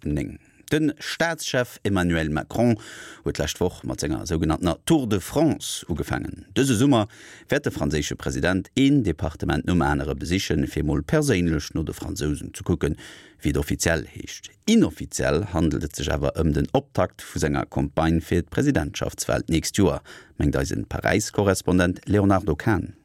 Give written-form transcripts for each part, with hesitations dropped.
9. De Staatschef Emmanuel Macron huet d'lescht Woch mat senger sougenanntener Tour de France ugefaangen. Dëse Summer wäert de franséische President een Departement nom anere besichen, fir mol perséinlech no de Fransousen ze kucken, wéi et offiziell heescht. Inoffiziell handelt et sech awer ëm den Optakt vu senger Campagne fir d'Presidentschaftswal d'nächst Joer, mengt eisen Paräis-Korrespondent Léonardo Kahn.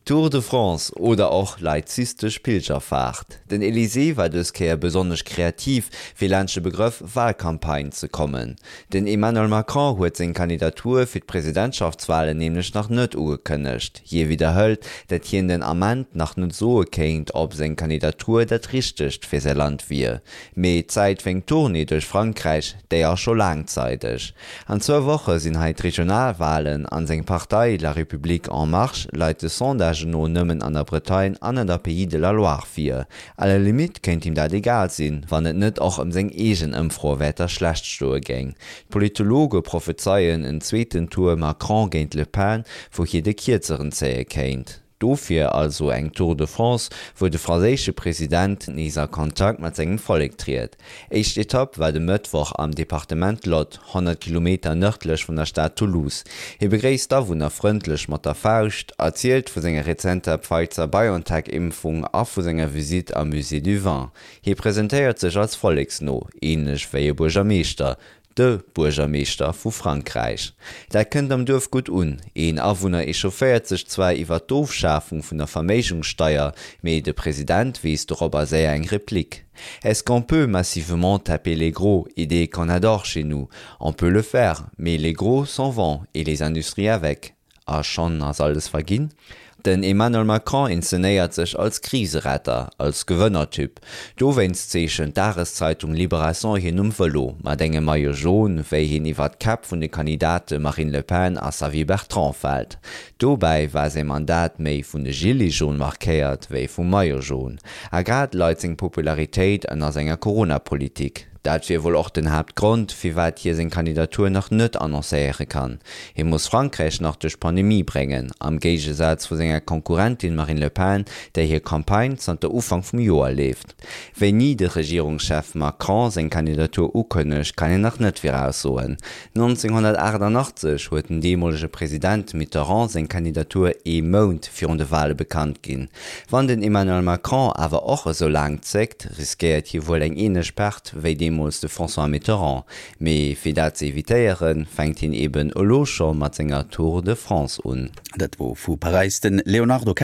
Tour de France oder och laizistesch Pilgerfaart. Den Elysée war dës Kéier besonnesch kreativ, fir laanscht de Begrëff Walcampagne ze kommen. Den Emmanuel Macron huet seng Kandidatur fir d'Presidentschaftswalen nämlech nach net ugekënnegt. Hie widderhëlt, dat hien den Ament nach net soe kéint, ob seng Kandidatur dat Richtegt fir säi Land wier. Mee d'Zäit fir eng Tournée duerch Frankräich, déi ass scho laang zeideg. An zwou Woche sinn hei d'Regionalwalen an seng Partei La République En Marche leit de Sondagen no nëmmen an der Bretagne an an der Pays de la Loire vir. À la limite kéint him dat egal sinn, wann et net och ëm seng eegen Ëmfroewäerter schlecht stoe géing. D'Politologe prophezeien en zweeten Tour Macron géint Le Pen, wou hie de Kierzeren zéie kéint. Dofir also eng Tour de France, wou de franséische President nees a Kontakt mat sengem Vollek triet. Éischt Etapp war de Mëttwoch am Departement Lot, 100 Kilometer nërdlech vun der Stad Toulouse. Hie begréisst d'Awunner frëndlech mat der Fauscht, erzielt vu senger rezenter Pfizer-BioNTech-Impfung a vu senger Visitt am Musée du Vin. Hie presentéiert sech als volleksno, änlech wéi e Buergermeeschter, De Buergermeeschter vu Frankräich. Dat kënnt am Duerf gutt un. Een Awunner echaufféiert sech zwar iwwer d'Ofschafung vun der Verméigungssteier, mee de President weess dorobber séier eng Replik, Est-ce qu'on peut massivement taper les gros, idée qu'on adore chez nous? On peut le faire, mais les gros s'en vont et les industries avec. A schonn ass alles verginn. Den Emmanuel Macron inzenéiert sech als Kriseretter, als Gewënnertyp. Dowéinst zeechent d'Dageszeitung Libération hien um Vëlo, mat engem Maillot jaune, wéi hien iwwer d'Käpp vun de Kandidate Marine Le Pen a Xavier Bertrand fält. Dobäi war säi Mandat méi vun de Gilets jaunes markéiert, wéi vum Maillot jaune. A grad leit seng Popularitéit ënner senger Corona-Politik. Dat wier wuel och den Haaptgrond, firwat hie seng Kandidatur nach net annoncéiere kann. Hie muss Frankräich nach duerch d'Pandemie bréngen, am Géigesaz vu senger Konkurrentin Marine Le Pen, där hir Campagne zanter Ufank vum Joer leeft. Wéini de Regierungschef Macron seng Kandidatur ukënnegt, kann een nach net viraussoen. 1988 huet den deemolege President Mitterrand seng Kandidatur ee Mount virun de Wale bekannt ginn. Wann den Emmanuel Macron awer och esou laang zéckt, riskéiert hie wuel eng änlech Perte wéi deemools de François Mitterrand. Mee fir dat ze evitéieren, fänkt hien eben elo scho mat senger Tour de France un. Dat wor vu Paräis de Léonardo.